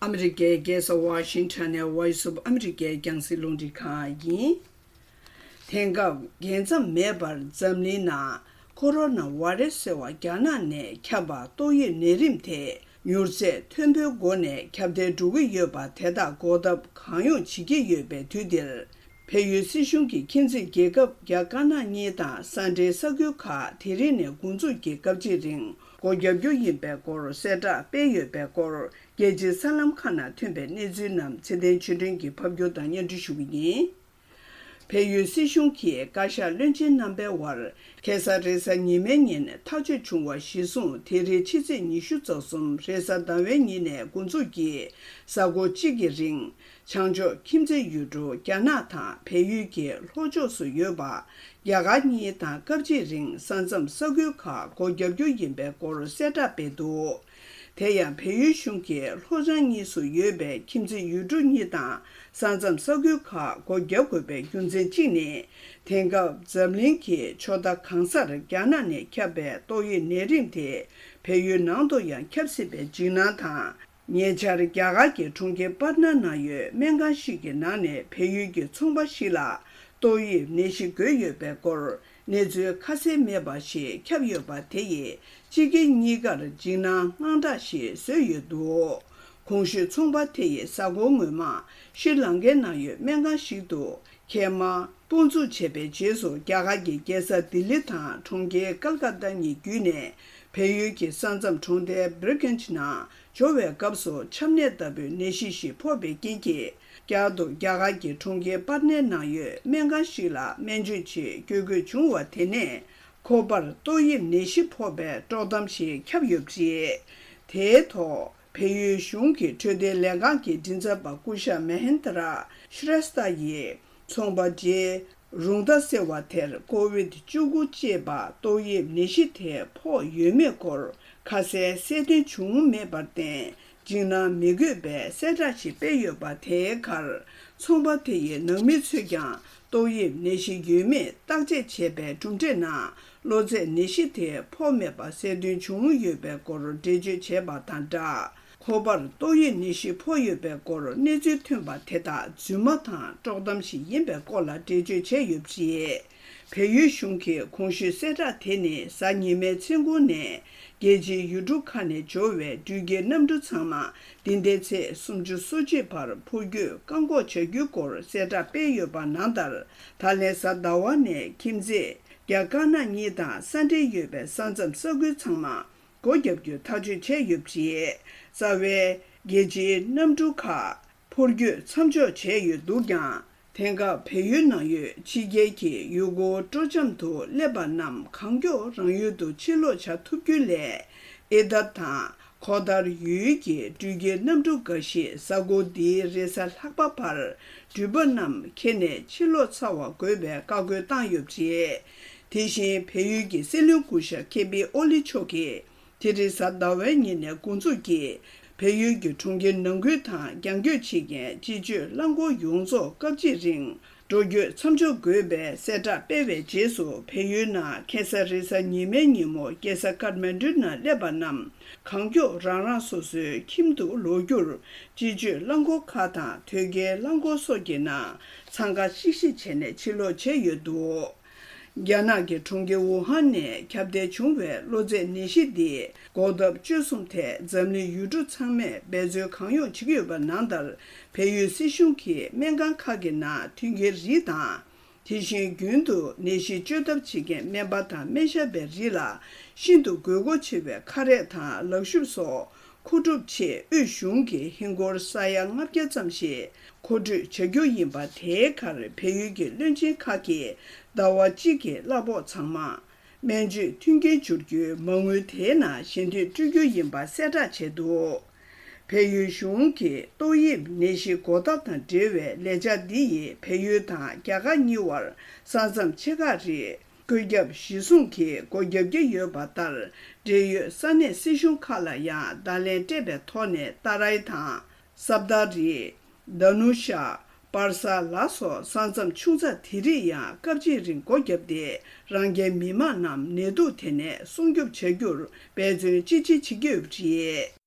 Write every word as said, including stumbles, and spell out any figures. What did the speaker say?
ཨ་མི་རི་ཀའི་རྒྱལ་ས་ཝ་ཤིང་ཊོན་ནས་Voice of America་རྒྱང་སྲིང་རླུང་འཕྲིན་ཁང་ཡིན། དེང་སྐབས་རྒྱལ་མཚམས་མེད་པར་འཛམ་གླིང་ནང་ཀོ་རོ་ན་བྷ་རེ་སི་ཟེར་བ་རྒྱ་ནག་ནས་ཁྱབ་པ་ཏོག་དབྱིབས་ནད་རིམས་དེ་མྱུར་ཚད་མཐོན་པོའི་སྒོ་ནས་ཁྱབ་གདལ་འགྲོ་གི་ཡོད་པ་དེ་དག་འགོག་ཐབས་གང་ཡོང་བྱེད་ཀྱི་ཡོད་པའི་དུས་འདིར། བལ་ཡུལ་སྲིད་གཞུང་གིས་ཁྱིམ་མཚེས་རྒྱལ་ཁབ་རྒྱ་དཀར་ནག་གཉིས་དང་ས་འབྲེལ་ས་ཁུལ་ཁག་དེ་རིང་ནས་འགོ་འཛུགས་ཀྱིས་སྐབས་གཅིག་རིང་སྒོ་བརྒྱབ་རྒྱུ་ཡིན་པའི་སྐོར་གསལ་བསྒྲགས་སྤེལ་ཡོད་པའི་སྐོར། རྒྱལ་སྤྱིའི་གསར་ལམ་ཁག་ནང་ཐོན་པའི་གནས་ཚུལ་རྣམས་ཚེ་བརྟན་ཆོས་སྒྲོན་གྱིས་ཕབ་སྒྱུར་དང་སྙན་སྒྲོན་ཞུ་གི་ཡིན། བལ་ཡུལ་སྲིད་གཞུང་གིས་བཀའ་ཤག་བློན་ཆེན་རྣམ་པའི་དབར་ཁ་སང་རེས་གཟའ་ཉི་མའི་ཉིན་ཐག་གཅོད་བྱུང་བ་གཞིར་བཟུང་། དེ་རིང་ཕྱི་ཚེས་ཉི་ཤུ་རྩ་གསུམ་རེས་གཟའ་ཟླ་བའི་ཉིན་ནས་འགོ་འཛུགས་ཀྱིས་གཟའ་འཁོར་གཅིག་གི་རིང་། བྱང་ཕྱོགས་ཁྱིམ་མཚེས་ཡུལ་གྲུ་རྒྱ་ནག་དང་བལ་ཡུལ་གྱི་ལྷོ་ཕྱོགས་སུ་ཡོད་པ་རྒྱ་གར་གཉིས་དང་སྐབས་གཅིག་རིང་ས་མཚམས་ས་ཁུལ་ཁག་སྒོ་བརྒྱབ་རྒྱུ་ཡིན་པའི་སྐོར་གསལ་བསྒྲགས་སྤེལ་འདུག་དེ་ཡང་བལ་ཡུལ་གཞུང་གིས་ལྷོ་བྱང་གཉིས་སུ་ཡོད་པའི་ཁྱིམ་མཚེས་ཡུལ་གྲུ་གཉིས་དང་ས་མཚམས་ས་ཁུལ་ཁག་སྒོ་བརྒྱབ་དགོས་པའི་རྒྱུ་མཚན་གཅིག་ནི། དེང་སྐབས་འཛམ་གླིང་གི་ཕྱོགས་མཐའ་གང་སར་རྒྱ་ནག་ནས་ཁྱབ་པའི་ཏོག་དབྱིབས་ནད་རིམས་དེ་བལ་ཡུལ་ནང་དུ་ཡང་ཁྱབ་སྲིད་པའི་འཇིགས་སྣང་དང་། ཉེ་ཆར་རྒྱ་གར་གྱི་གྲོང་ཁྱེར་པཱ་ཊ་ན་ནང་ཡོད་སྨན་ཁང་ཞིག་གི་ནང་ནས་བལ་ཡུལ་གྱི་ཚོང་པ་ཞིག་ལ་ཏོག་དབྱིབས་ནད་གཞི་འགོས་ཡོད་པའི་སྐོར་གནས་ཚུལ་ཁ་གསལ་མེད་པ་ཞིག་ཁྱབ་ཡོད་པ་དེ་ཡིས་སྤྱི་སྒེར་གཉིས་ཀར་འཇིགས་སྣང་དངངས་སྐྲག་ཞིག་བཟོས་ཡོད་འདུག་གོང་ཞུས་ཚོང་པ་དེ་ཡིས་གཟའ་འཁོར་སྔོན་མ་ཤྲི་ལང་ཀའི་ནང་ཡོད་སྨན་ཁང་ཞིག་ཏུ་མཁལ་མ་སྤོ་འཛུགས་བྱས་པའི་རྗེས་སུ་རྒྱ་གར་གྱི་རྒྱལ་ས་ལྡི་ལི་དང་གྲོང་ཁྱེར་ཀལ་ཀ་ཏ་གཉིས་བརྒྱུད་ནས་བལ་ཡུལ་གྱི་ས་མཚམས་གྲོང་རྡལ་བྷི་རི་ཀན་ཇི་ནང་འབྱོར་བའི་སྐབས་སུ་ཆམ་ནད་ལྟ་བུའི་ནད་གཞི་ཞིག་ཕོག་པའི་རྐྱེན་གྱིས། བསྐྱར་དུ་རྒྱ་གར་གྱི་གྲོང་ཁྱེར་པར་ནའི་ནང་ཡོད་སྨན་ཁང་ཞིག་ལ་སྨན་བཅོས་ཆེད་བསྐྱོད་དགོས་བྱུང་བ་དེ་ནས་ཁོ་པར་ཏོག་དབྱིབས་ནད་གཞི་ཕོག་པའི་དཀྲོག་གཏམ་ཞིག་ཁྱབ་ཡོད་པ་རེད། དེའི་ཐོག་བལ་ཡུལ་གཞུང་གི་འཕྲོད་བསྟེན་ལས་ཁང་གི་མགྲིན་ཚབ་པ་སྐུ་ཞབས་མ་ཧེན་དྲ་ཤྲེས་ཐ་ཡིས། ཚོང་པ་རྗེ་རུང་ད་ཟེར་བ་དེར་ཀོ་ཝིད་བཅུ་དགུ་ཅེས་པ་ཏོག་དབྱིབས་ནད་གཞི་དེ་ཕོག་ཡོད་མེད་སྐོར་ཁ་གསལ་གསལ་སྟོན་བྱུང་མེད་པར་བརྟེན། འཇིགས་སྣང་མི་དགོས་པའི་གསལ་བསྒྲགས་ཤིག་སྤེལ་ཡོད་པ་དེའི་ཁར། ཚོང་པ་དེ་ཡི་ནང་མི་ཚོས་ཀྱང་ཏོག་དབྱིབས་ནད་གཞི་ཡོད་མེད་བརྟག་དཔྱད་བྱས་པའི་གྲུབ་འབྲས་ནང་གློ་ཚད་ནད་གཞི་དེ་ཕོག་མེད་པ་གསལ་སྟོན་བྱུང་ཡོད་པའི་སྐོར་འགྲེལ་བརྗོད་བྱས་པ་དང་སྦྲགས། ཁོ་པར་ཏོག་དབྱིབས་ནད་གཞི་ཕོག་ཡོད་པའི་སྐོར་གནས་ཚུལ་ཐོན་པ་དེ་དག་རྫུན་མ་དང་དཀྲོག་གཏམ་ཞིག་ཡིན་པའི་སྐོར་ལ་འགྲེལ་བརྗོད་བྱས་ཡོད་པ་རེད། བལ་ཡུལ་གཞུང་གིས་གོང་ཞུས་གསལ་བསྒྲགས་དེ་ནི་གཟའ་ཉི་མའི་མཚན་གུང་ནས་རྒྱལ་སྤྱིའི་ཡུལ་གྲུ་ཁག་ནས་འབྱོར་བའི་འགྲུལ་སྐྱེལ་གནམ་གྲུ་ཚང་མ་འདི་ཟླའི་ཚེས་སུམ་ཅུ་སོ་གཅིག་བར་འཕུར་སྐྱོད་བཀག་འགོག་བྱ་རྒྱུའི་སྐོར་གསལ་བསྒྲགས་སྤེལ་ཡོད་པ་ནང་ལྟར། ད་ལན་གཟའ་ཟླ་བ་ནས་ཁྱིམ་མཚེས་རྒྱ་དཀར་ནག་གཉིས་དང་ས་འབྲེལ་ཡོད་པའི་ས་མཚམས་ས་ཁུལ་ཚང་མ་སྒོ་བརྒྱབ་རྒྱུ་ཐག་གཅོད་བྱས་ཡོད་པ་རེད། རྩ་བའི་རྒྱལ་སྤྱིའི་གནམ་གྲུ་ཁག་འཕུར་སྐྱོད་མཚམས་འཇོག་བྱས་ཡོད་འདུག་ཀྱང་། དེང་སྐབས་བལ་ཡུལ་ནང་ཡོད་ཕྱི་རྒྱལ་གྱི་ཡུལ་སྐོར་སྤྲོ་འཆམ་དུ་སླེབས་པ་རྣམས་གང་མགྱོགས་རང་ཡུལ་དུ་ཕྱིར་ལོག་བྱ་ཐུབ་རྒྱུ་སླད། ཨི་ཏར་དང་ཁོ་ཐར་ཡུལ་གྱི་འགྲུལ་སྐྱེལ་གནམ་གྲུ་འགའ་ཞིག་གཟའ་འཁོར་འདིའི་རེས་གཟའ་ལྷག་པ་བར་འགྲུལ་པ་རྣམས་ཁྱེར་ནས་ཕྱིར་ལོག་ཚར་བ་དགོས་པའི་བཀའ་བཀོད་བཏང་ཡོད་པ་རེད། དེ་བཞིན་བལ་ཡུལ་གྱི་སྲིད་བློན་སྐུ་ཞབས་ཁེ་པི་ཨོ་ལི་མཆོག་གིས། དེ་རིང་གཟའ་ཟླ་བའི་ཉིན་ནས་འགོ་འཛུགས་ཀྱིས་བལ་ཡུལ་གྱི་གྲོང་ཁྱེར་ནང་ཁུལ་དང་རྒྱང་སྐྱོད་བྱེད་མཁན་སྤྱི་སྤྱོད་རླངས་འཁོར་ཡོངས་རྫོགས་སྐབས་གཅིག་རིང་འགྲོ་སྐྱོད་མཚམས་འཇོག་དགོས་པའི་གསལ་བསྒྲགས་སྤེལ་བའི་རྗེས་སུ། བལ་ཡུལ་ནང་ཁ་སང་རེས་གཟའ་ཉི་མའི་ཉིན་མོ་རྒྱལ་ས་ཀཏ་མན་ཌུ་ནང་སླེབས་པ་རྣམས་གང་མགྱོགས་རང་རང་སོ་སོའི་ཁྱིམ་དུ་ལོག་རྒྱུར། སྤྱི་སྤྱོད་རླངས་འཁོར་ཁག་དང་དོས་སྐྱེལ་རླངས་འཁོར་སོགས་ཀྱི་ནང་འཚང་ཁ་ཤིག་ཤིག་བྱས་ནས་ཕྱིར་ལོག་བྱས་ཡོད་འདུག་རྒྱ་ནག་གི་གྲོང་ཁྱེར་ཝུ་ཧན་ནས་ཁྱབ་གདལ་བྱུང་བའི་གློ་ཚད་ནད་གཞི་འདི་འགོག་ཐབས་བཅོས་གསུམ་ཐད་འཛམ་གླིང་ཡུལ་གྲུ་ཚང་མས་འབད་རྩོལ་གང་ཡོང་བྱེད་ཀྱི་ཡོད་པ་ནང་ལྟར། བལ་ཡུལ་སྲིད་གཞུང་གིས་སྨན་ཁང་ཁག་གི་ནང་མཐུན་རྐྱེན་རིགས་དང་། དེ་བཞིན་རྒྱུན་དུ་ནད་གཞི་བཅོས་ཐབས་བྱེད་མཁན་སྨན་པ་དང་སྨན་ཞབས་པའི་རིགས་ལ་ཤིན་ཏུ་དགོས་མཁོ་ཆེ་བའི་ཁ་རས་དང་ལག་ཤུབས་སོགས། མཁོ་སྒྲུབ་ཆེད་དབུས་གཞུང་གིས་ཧིན་སྒོར་ས་ཡ་ལྔ་བརྒྱ་ཙམ་ཞིག་མཁོ་སྤྲོད་བྱ་རྒྱུ་ཡིན་པ། དེའི་ཁར་བལ་ཡུལ་གྱི་བློན་ཆེན་ཁག་གིས་ཟླ་བ་གཅིག་གི་གླ་ཕོགས་ཚང་མ་སྨན་བཅོས་མཐུན་རྐྱེན་སྦྱོར་རྒྱུའི་མ་དངུལ་དེའི་ནང་ཞལ་འདེབས་སྤྲོད་རྒྱུ་ཡིན་པ་གསལ་བསྒྲགས་བྱས་འདུག་བལ་ཡུལ་གཞུང་གིས་ཏོག་དབྱིབས་ནད་གཞི་འགོག་ཐབས་དང་འབྲེལ་བའི་ལས་འཆར་འདི་ཡིས་བལ་ཡུལ་དང་རྒྱ་གར་གཉིས་བར་ས་མཚམས་ཆེ་ཁག་རིགས། བཀོད་ཁྱབ་གཞི་བཟུང་གིས་སྒོ་བརྒྱབ་ཀྱི་ཡོད་པ་ལྟར། འབྲེལ་ཡོད་ས་གནས་སྲིད་གཞུང་ཁག་ལ་ཡང་བརྡ་ལན་སྤྲད་པའི་ཐོག་ནས་ཏཱ་རའི་དང་། སབ་དཱ་རི། དཱ་ནུ་ཤ། པར་ས་ལ་སོགས་ས་མཚམས་ཆུང་ཙག་དེ་རིགས་ཡང་སྐབས་གཅིག་རིང་སྒོ་བརྒྱབ་སྟེ། རང་རྒྱལ་མི་དམངས་རྣམས་ནད་དུག་དེ་ནས་སྲུང་སྐྱོབ་བྱ་རྒྱུར་འབད་བརྩོན་ཅི་ཆེ་བྱེད་ཀྱི་ཡོད་པ་རེད།